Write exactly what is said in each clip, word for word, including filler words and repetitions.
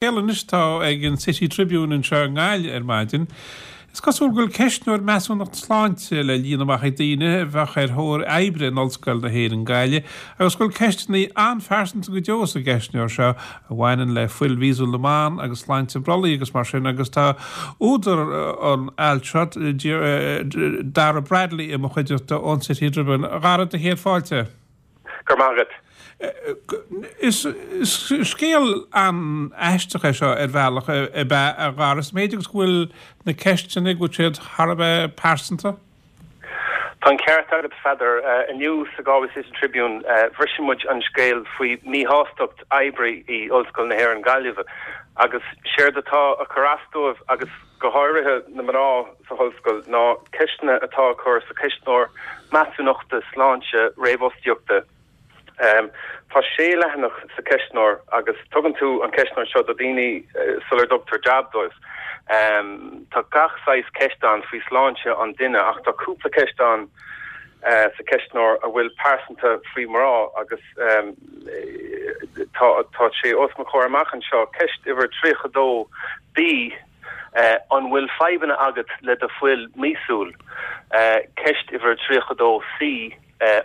Scéal anois atá ag an City Tribune anseo i nGaillimh ar maidin. Is cosúil go bhfuil ceistneoir measúnacht sláinte le líonadh amach ag daoine a bheadh ar thóir oibre in Ollscoil na hÉireann Gaillimh agus go bhfuil ceisteanna an-phearsanta go deo sa gceistneoir seo a bhaineann le fuil mhíosúil na mban agus sláinte brollaigh agus mar sin agus tá údar an ailt seo Dara Bradley i mo chuideachta ón City Tribune. A Dhara, do chéad fáilte. Go raibh maith agat. Is scéal an-aisteach é seo ar bhealach ab ea, a Dhara, sa méid agus go bhfuil na ceisteanna, go bhfuil siad thar a bheith pearsanta. Tá an ceart agat, a Pheadair. Inniu sa Galway City Tribune bhris muid an scéal faoi mhíshástacht oibrí i Ollscoil na hÉireann Gaillimh agus séard atá a chur as dóibh agus go háirithe na mná sa hollscoil ná ceisteanna atá á cur sa cheistneoir measúnachta sláinte réamhfhostaíochta. Tá sé leathanach sa cheistneoir agus tugann tú an ceistneoir seo do daoine sular dtugtar jab dóibh. Tá gach saghas ceist ann faoi sláinte an duine ach tá cúpla ceist ann sa cheistneoir a bhfuil pearsanta faoi mná agus tá tá sé os mo chomhair amach anseo, ceist uimhir tríocha dó B, An bhfuil fadhbanna agat le do fuil míosúil? Ceist uimhir tríocha dó C,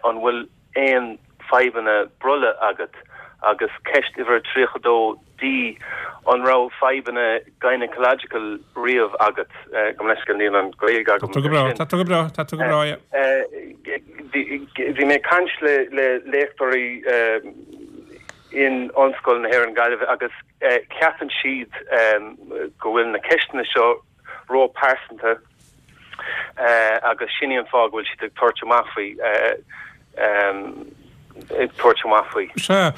An bhfuil aon fadhbanna brollaigh agat? Agus ceist uimhir tríocha dó D, An raibh fadhbanna gynecological riamh agat? Gabh mo leithscéal, níl an Ghaeilge agam Tá tú go breá, tá tú go breá, tá tú go breá, yeah. Bhí mé ag caint le le léachtóirí in Ollscoil na hÉireann Gaillimh agus ceapann siad go bhfuil na ceisteanna seo ró-pearsanta agus sin í an fáth go bhfuil siad ag tabhairt amach faoi. ag tabhairt amach faoi. Sea,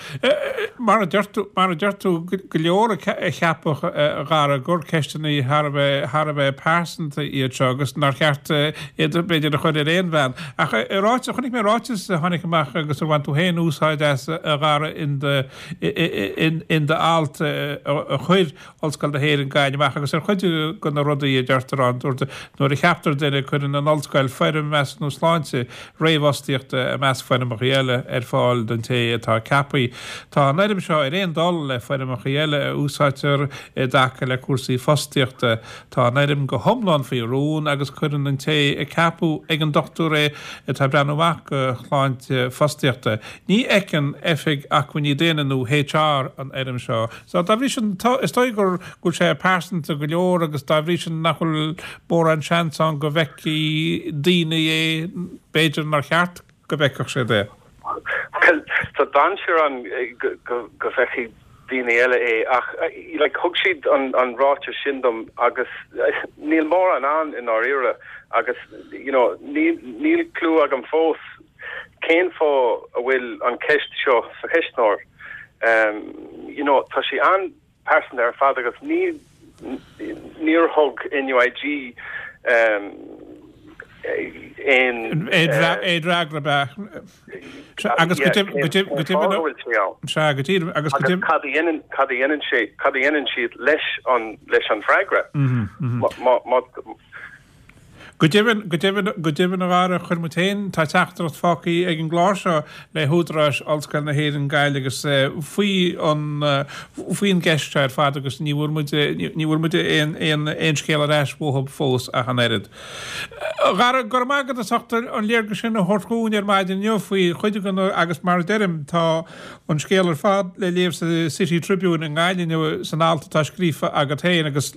mar a deir tú, mar a deir tú, go leor a cheapfadh, a Dhara, gur ceisteanna thar a bheith, thar a bheith pearsanta iad seo agus nár cheart iad, b'fhéidir, a chur ar aon bhean. Ach i ráiteas, chonaic mé ráiteas a tháinig amach agus ar bhain tú féin úsáid as, a Dhara, in do, in do alt a chuir Ollscoil na hÉireann Gaillimh amach agus ar chuid de na rudaí a deirtear ann, dúirt, nuair a cheaptar duine, cuireann an Ollscoil foirm measúnú sláinte réamhfhostaíochta i measc foirmeacha eile ar fáil don té atá ceaptha. Tá an fhoirm seo ar aon dul le foirmeacha eile a úsáidtear i dtaca le cúrsaí fostaíochta. Tá an fhoirm go hiomlán faoi rún agus cuireann an té a ceapadh ag an dochtúir é atá ag breathnú amach do shláinte fostaíochta. Ní fheiceann Oifig Acmhainní Daonna nó HR an fhoirm seo. So, dá bhrí sin, tá, is dóigh gur, go bhfuil sé pearsanta go leor agus dá bhrí sin nach bhfuil mórán seans ann go bhfeicfidh daoine é, b'fhéidir nár cheart go bhfeicfeadh siad é. Bhuel, tá dainséar ann go, go, go bhfeicfidh daoine eile é ach like thug siad an, an ráiteas sin dom agus níl mórán ann i ndáiríre agus you know níl, níl clue agam fós cén fáth a bhfuil an ceist seo sa cheistneoir. You know, tá sé an-pearsanta ar fad agus ní, níor thug NUIG aon. Aon fhreagra ab ea? Agus go deimhin, go deimhin, sea, go díreach, agus go deimhin. Cad a dhéanann, cad a dhéanann sé, cad a dhéanann siad leis an, leis an bhfreagra? Má, má. Go deimhin, go deimhin, go deimhin a Dhara, chuir muid féin, tá teachtaireacht fágtha ag an gclár seo le húdaráis Ollscoil na hÉireann Gaillimh agus faoi an, faoi an gceist seo ar fad agus ní bhfuair muid, ní bhfuair muid aon, aon, aon scéal ar ais uathu fós ach an oiread. A Dhara, go raibh maith agat as ucht an léargas sin a thabhairt dhúinn ar maidin inniu faoi chuid de na, agus mar a deirim, tá an scéal ar fad le léamh sa City Tribune i nGaillimh inniu san alt atá scríofa agat féin agus.